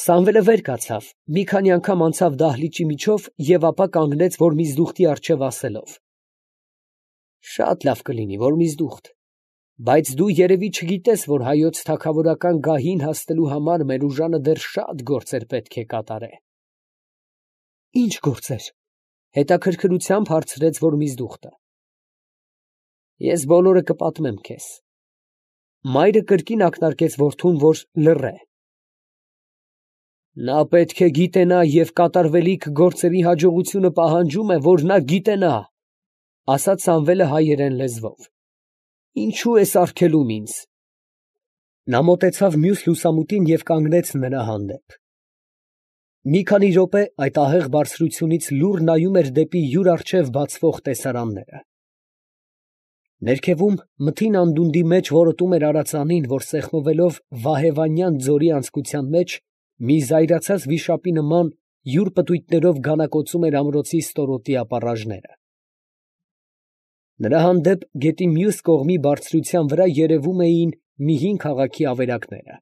Սամվելը վեր կացավ, մի քանի անգամ անցավ դահլիճի միջով և ապա կանգնեց, որ միզդուխտի առջև ասելով. «Շատ լավ կլինի, որ միզդուխտ, բայց դու երևի չգիտես, որ հայոց թագավորական գահին հասնելու համար մեր ուժանը դեռ շատ գործեր պետք է կատարե»։ «Ի՞նչ գործեր» հետաքրքրությամբ հարցրեց որ միզդուխտը։ «Ես բոլորը կպատմեմ քեզ»։ Մայրը կրկին ակնարկեց որդուն, որ լռե։ «Նա պետք է գիտենա և կատարվելիք գործերի հաջողությունը պահանջում է, որ նա գիտենա, ֊ ասաց Սամվելը հայերեն լեզվով։ ֊ Ինչո՞ւ ես արգելում ինձ»։ Նա մոտեցավ մյուս լուսամուտին և կանգնեց նրա հանդեպ։ Մի քանի րոպե այդ ահեղ բարձրությունից լուռ նայում էր դեպի յուր առջև բացվող տեսարանները։ Ներքևում մթին անդունդի մեջ որոտում էր արածանին, որ սեղմվելով Վահեվանյան ձորի անցքության մեջ, մի զայրացած վիշապի նման յուր պտույտներով գանակոծում էր ամրոցի ստորոտի ապառաժները։ Նրա հանդեպ գետի մյուս կողմի բարձրության վրա երևում էին մի հին քաղաքի ավերակները,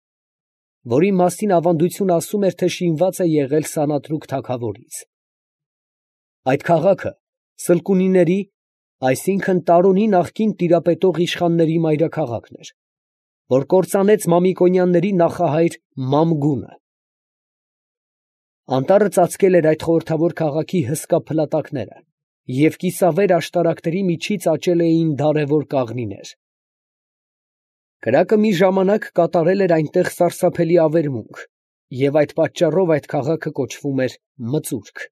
որի մասին ավանդությունը ասում էր, թե շինված է եղել Սանատրուկ թագավորից։ Այդ քաղաքը Սլկունիների, այսինքն Տարոնի նախկին տիրապետող իշխանների մայրաքաղաքն էր, որ կործանեց Մամիկոնյանների նախահայր Մամգունը։ Անտառը ծածկել էր այդ խորհրդավոր քաղաքի հսկա փլատակները, և կիսավեր աշտարակների միջից աճել էին դարավոր կաղնիներ։ Կրակը մի ժամանակ կատարել էր այնտեղ սարսափելի ավերմունք, և այդ պատճառով այդ քաղաքը կոչվում էր Մծուրք։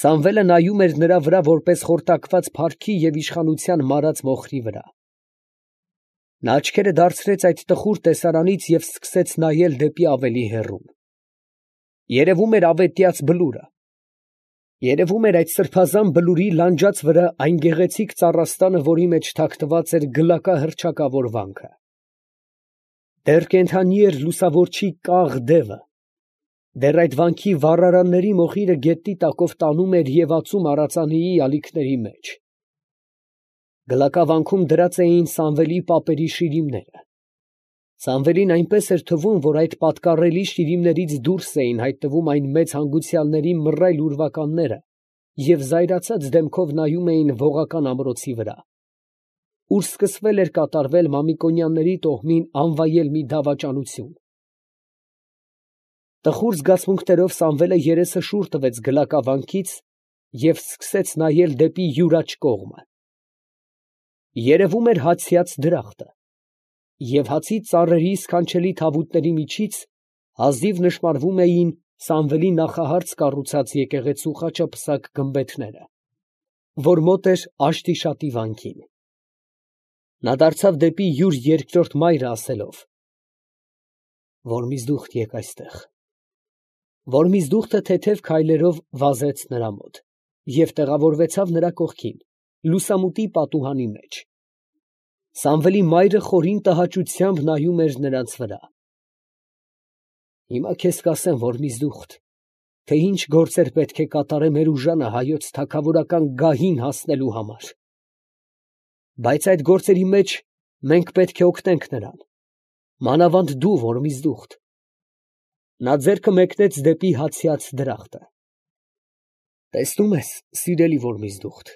Սամվելը նայում էր նրա վրա որպես խորտակված փառքի և իշխանության մարած մոխրի վրա։ Նա աչքերը դարձրեց այդ տխուր տեսարանից և սկսեց նայել դեպի ավելի հեռուն։ Երևում էր ավետյաց բլուրը։ Երևում էր այդ սրբազան բլուրի լանջած վրա այն գեղեցիկ ծառաստանը, որի մեջ թաքնված էր գլակա հռչակավոր վանքը։ Դեռ կենդանի էր լուսավորչի կաղ դևը։ Դեռ այդ վանքի վառարանների մոխիրը գետնի տակով տանում էր և ածում արածանիի ալիքների մեջ։ Գլակավանքում դրած էին Սամվելի պապերի շիրիմները։ Սամվելին այնպես էր թվում, որ այդ պատկառելի շիրիմներից դուրս էին հայտնվում այն մեծ հանգուցյալների մռայլ ուրվականները և զայրացած դեմքով նայում էին ողական ամրոցի վրա, ուր սկսվել էր կատարվել Մամիկոնյանների տոհմին անվայել մի դավաճանություն։ Տխուր զգացմունքներով Սամվելը երեսը շուռ տվեց գլակավանքից և սկսեց նայել դեպի յուր աջ կողմը։ Երևում էր հացյաց դրախտը, և հացի ծառերի սքանչելի թավուտների միջից հազիվ նշմարվում էին Սամվելի նախահարց կառուցած եկեղեցու խաչապսակ գմբեթները, որ մոտ էր Աշտիշատի վանքին։ Նա դարձավ դեպի յուր երկրորդ մայրը, ասելով. «Որմիզդուխտ եկ այստեղ»։ Որմիզդուխտը թեթև քայլերով վազեց նրա մոտ և տեղավորվեցավ նրա կողքին, լուսամուտի պատուհանի մեջ։ Սամվելի մայրը խորին տհաճությամբ նայում էր նրանց վրա։ «Հիմա քեզ կասեմ, Որմիզդուխտ, թե ինչ գործեր պետք է կատարե մեր ուժանը հայոց թագավորական գահին հասնելու համար։ Բայց այդ գործերի մեջ մենք պետք է օգնենք նրան, մանավանդ դու, Որմիզդուխտ»։ Նա ձեռքը մեկնեց դեպի հացյաց դրախտը։ «Տեսնում ես, սիրելի Որմիզդուխտ,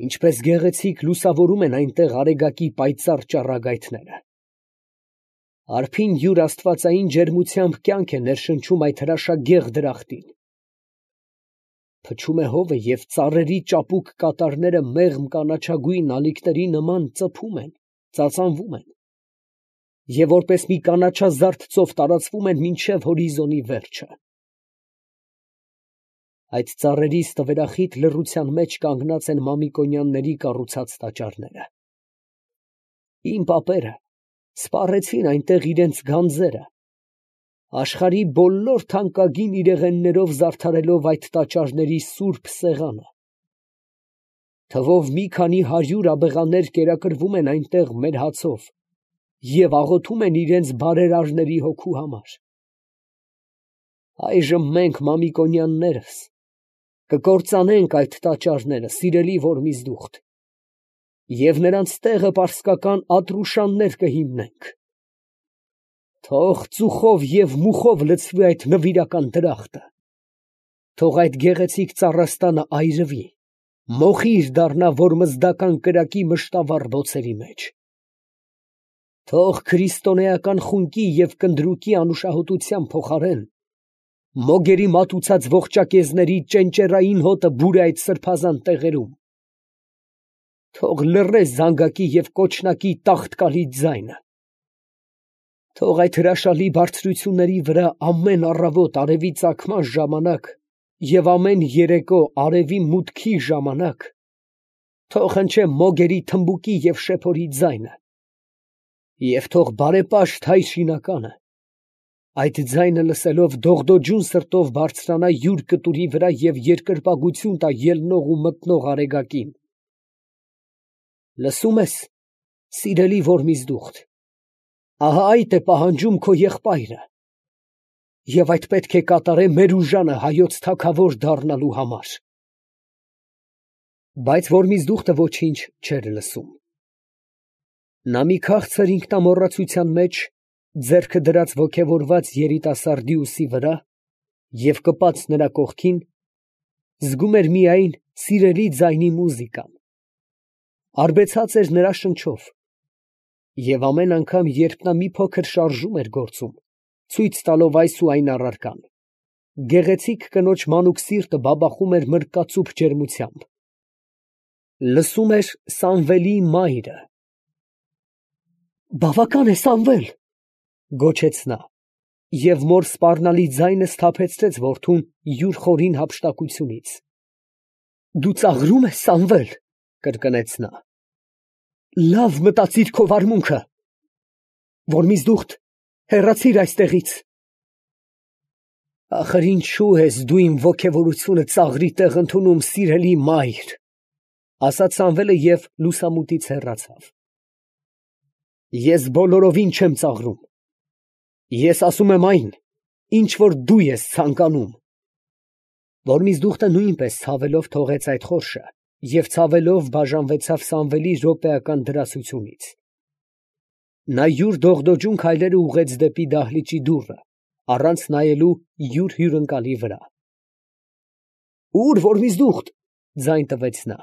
ինչպես գեղեցիկ լուսավորում են այնտեղ արեգակի պայծառ ճառագայթները։ Արփին յուր աստվածային ջերմությամբ կյանք է ներշնչում այդ հրաշագեղ դրախտին։ Փչում է հովը, և ծառերի ճապուկ կատարները մեղմ կանաչագույն ալիքների նման ծփում են, ծածանվում են, և որպես մի կանաչազարդ ծով տարածվում են մինչև հորիզոնի վերջը։ Այդ ծառերի ստվերախիտ լռության մեջ կանգնած են Մամիկոնյանների կառուցած տաճարները։ Իմ պապերը սպառեցին այնտեղ իրենց գանձերը, աշխարհի բոլոր թանկագին իրեղեններով զարդարելով այդ տաճարների սուրբ սեղանը։ Թվով մի քանի 100 աբեղաներ կերակրվում են այնտեղ մեր հացով և աղոթում են իրենց բարերարների հոգու համար։ Այժմ մենք, Մամիկոնյաններս, կկործանենք այդ տաճարները, սիրելի Որմիզդուխտ, և նրանց տեղը պարսկական Ատրուշաններ կհիմնենք։ Թող ծուխով և մուխով լցվի այդ նվիրական դրախտը, թող այդ գեղեցիկ ծառաստանը այրվի, մոխիր դառնա որմզդական կրակի մշտավառ բոցերի մեջ, թող քրիստոնեական խունկի և կնդրուկի անուշահոտության փոխարեն մոգերի մատուցած ողջակեզների ճենճեռային հոտը բուրե այդ սրբազան տեղերում, թող լռե զանգակի և կոչնակի տաղտկալի ձայնը, թող այդ հրաշալի բարձրությունների վրա ամեն առավոտ արևի ծագման ժամանակ և ամեն երեկո արևի մուտքի ժամանակ թող հնչե մոգերի թմբուկի և շեփորի ձայնը, և թող բարեպաշտ հայ շինականը այդ ձայնը լսելով դողդոջուն սրտով բարձրանա յուր կտուրի վրա և երկրպագություն տա ելնող ու մտնող արեգակին. «Լսո՞ւմ ես, սիրելի Որմիզդուխտ, ահա այդ է պահանջում քո եղբայրը, և այդ պետք է կատարե մեր ուժանը հայոց թագավոր դառնալու համար»։ Բայց Որմիզդուխտը ոչինչ չէր լսում. նա մի քաղցր ինքնամոռացության մեջ ձեռքը դրած ոգևորված երիտասարդի ուսի վրա և կպած նրա կողքին, զգում էր միայն սիրելի ձայնի մուզիկան, արբեցած էր նրա շնչով, և ամեն անգամ, երբ նա մի փոքր շարժում էր գործում, ցույց տալով այս ու այն առարկան, գեղեցիկ կնոջ մանուկ սիրտը բաբախում էր մրկածուփ ջերմությամբ, լսում էր Սամվելի մայրը։ «Բավական է, Սամվել, ֊ գոչեց նա, և մոր սպառնալի ձայնը սթափեցրեց որդուն յուր խորին հափշտակությունից։ ֊ Դու ծաղրում ես, Սամվել, ֊ կրկնեց նա, ֊ լավ մտածիր քո վարմունքը. Որմիզդուխտ, հեռացիր այստեղից։ Ախր ինչո՞ւ ես դու իմ ոգևորությունը ծաղրի տեղ ընդունում, սիրելի մայր, ֊ ասաց Սամվելը և լուսամուտից հեռացավ։ Ես բոլորովին չեմ ծաղրում. ես ասում եմ այն, ինչ որ դու ես ցանկանում։ Որմիզդուխտը նույնպես ցավելով թողեց այդ խորշը և ցավելով բաժանվեցավ Սամվելի րոպեական դրասությունից։ Նա յուր դողդոջուն քայլերը ուղղեց դեպի դահլիճի դուռը, առանց նայելու յուր հյուրընկալի վրա։ Ո՞ւր, Որմիզդուխտ, ֊ ձայն տվեց նա։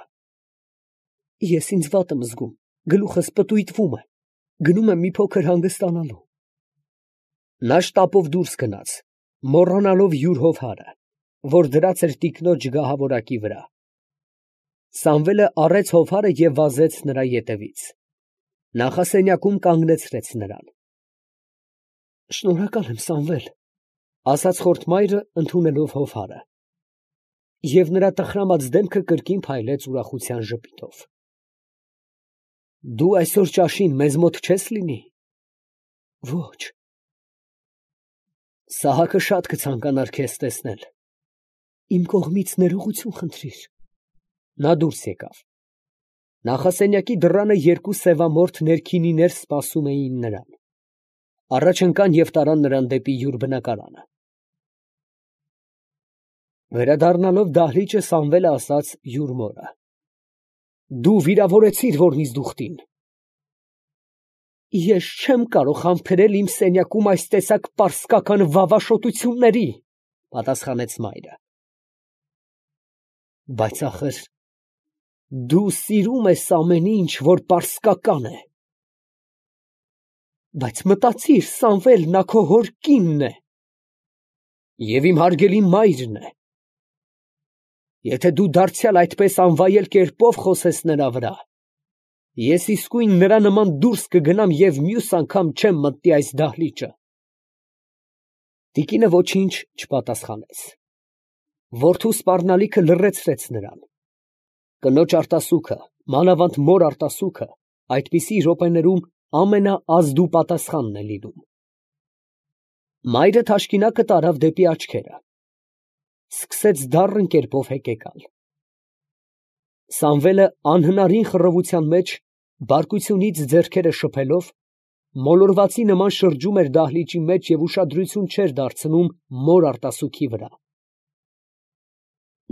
Ես ինձ վատ եմ զգում, գլուխս պտույտվում է, գնում եմ մի փոքր հանգստանալու։ Նա շտապով դուրս գնաց, մոռանալով յուր հովհարը, որ դրած էր տիկնոջ գահավորակի վրա։ Սամվելը առեց հովհարը և վազեց նրա ետևից. նախասենյակում կանգնեցրեց նրան։ Շնորհակալ եմ, Սամվել, ֊ ասաց խորթմայրը, ընդունելով հովհարը, և նրա տխրամած դեմքը կրկին փայլեց ուրախության ժպիտով։ Դու այսօր ճաշին մեզ մոտ չես լինի։ Ոչ։ Սահակը շատ կցանկանար քեզ տեսնել։ Իմ կողմից ներողություն խնդրիր։ Նա դուրս եկավ։ Նախասենյակի դռանը երկու սևամորթ ներքինիներ սպասում էին նրան։ Առաջ ընկան և տարան նրան դեպի յուր բնակարանը։ Վերադառնալով դահլիճը, Սամվելը ասաց յուր մորը. Դու վիրավորեցիր Որմիզդուխտին։ Ես չեմ կարող համբերել իմ սենյակում այս տեսակ պարսկական վավաշոտությունների, ֊ պատասխանեց մայրը։ Բայց ախր դու սիրում ես ամեն ինչ, որ պարսկական է։ Բայց մտածիր, Սամվել, նա քո հոր կինն է։ Եվ իմ հարգելի մայրն է։ Եթե դու դարձյալ այդպես անվայել կերպով խոսես նրա վրա, ես իսկույն նրա նման դուրս կգնամ և մյուս անգամ չեմ մտնի այս դահլիճը։ Տիկինը ոչինչ չպատասխանեց։ Որդու սպառնալիքը լռեցրեց նրան։ Կնոջ արտասուքը, մանավանդ մոր արտասուքը, այդպիսի րոպեներում ամենաազդու պատասխանն է լինում։ Մայրը թաշկինակը տարավ դեպի աչքերը։ Սկսեց դառն կերպով հեկեկալ։ Սամվելը անհնարին խռովության մեջ, բարկությունից ձեռքերը շփելով, մոլորվածի նման շրջում էր դահլիճի մեջ և ուշադրություն չէր դարձնում մոր արտասուքի վրա։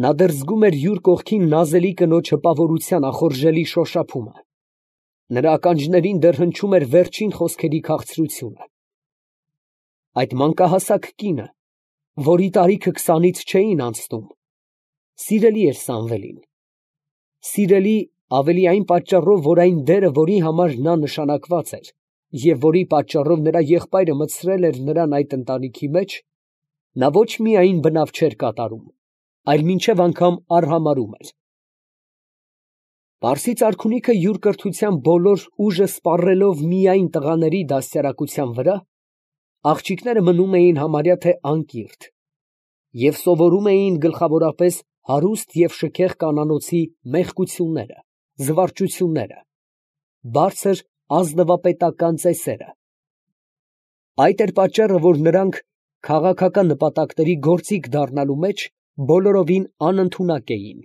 Նա դեռ զգում էր յուր կողքին նազելի կնոջ հպավորության ախորժելի շոշափումը։ Նրա ականջներին դեռ հնչում էր վերջին խոսքերի քաղցրությունը։ Այդ մանկահասակ կինը, որի տարիքը 20-ից չէին անցնում, սիրելի էր Սամվելին, սիրելի ավելի այն պատճառով, որ այն դերը, որի համար նա նշանակված էր, և որի պատճառով նրա եղբայրը մտցրել էր նրան այդ ընտանիքի մեջ, նա ոչ միայն բնավ չէր կատարում, այլ մինչև անգամ արհամարհում էր։ Պարսից արքունիքը յուր կրթության բոլոր ուժը սպառելով միայն տղաների դաստիարակության վրա, աղջիկները մնում էին համարյա թե անկիրթ և սովորում էին գլխավորապես հարուստ և շքեղ կանանոցի մեղկությունները, զվարճությունները, բարձր ազնվապետական ծեսերը։ Այդ էր պատճառը, որ նրանք քաղաքական նպատակների գործիք դառնալու մեջ բոլորովին անընդունակ էին։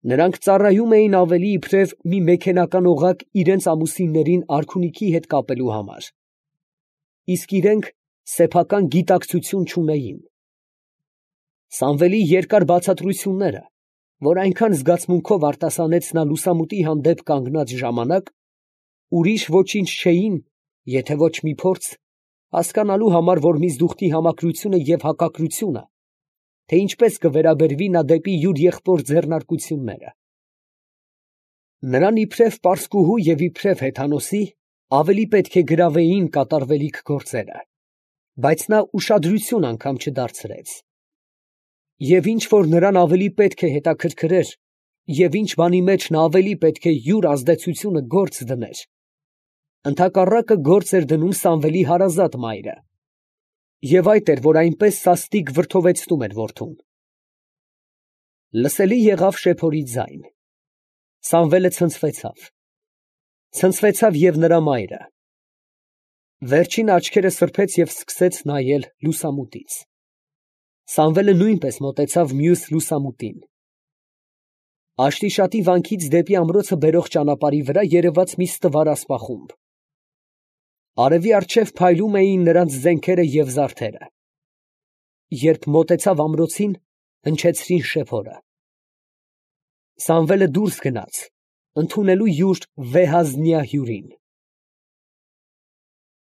Նրանք ծառայում էին ավելի իբրև մի մեքենական օղակ իրենց ամուսիններին արքունիքի հետ կապելու համար, իսկ իրենք սեփական գիտակցություն չունեին։ Սամվելի երկար բացատրությունները, որ այնքան զգացմունքով արտասանեց նա լուսամուտի հանդեպ կանգնած ժամանակ, ուրիշ ոչինչ չէին, եթե ոչ մի փորձ հասկանալու համար, որ միզդուխտի համակրությունը և հակակրությունը, թե ինչպես կվերաբերվի նա դեպի յուր եղբոր ձեռնարկությունները։ Նրան իբրև պարսկուհու և իբրև հեթանոսի ավելի պետք է գրավեին կատարվելիք գործերը, բայց նա ուշադրություն անգամ չդարձրեց։ Եվ ինչ որ նրան ավելի պետք է հետաքրքրեր, և ինչ բանի մեջ նա ավելի պետք է յուր ազդեցությունը գործ դներ, ընդհակառակը գործ էր դնում Սամվելի հարազատ մայրը, և այդ էր, որ այնպես սաստիկ վրդովեցնում էր որդուն։ Լսելի եղավ շեփորի ձայն. Սամվելը ցնցվեցավ և նրա մայրը. վերջինը աչքերը սրբեց և սկսեց նայել լուսամուտից։ Սամվելը նույնպես մոտեցավ մյուս լուսամուտին։ Աշտիշատի վանքից դեպի ամրոցը բերող ճանապարհի վրա երևաց մի ստվար ասպախումբ։ Արևի առջև փայլում էին նրանց զենքերը և զարդերը։ Երբ մոտեցավ ամրոցին, հնչեցրին շեփորը։ Սամվելը դուրս գնաց, ընդունելու յուր վեհազնյա հյուրին։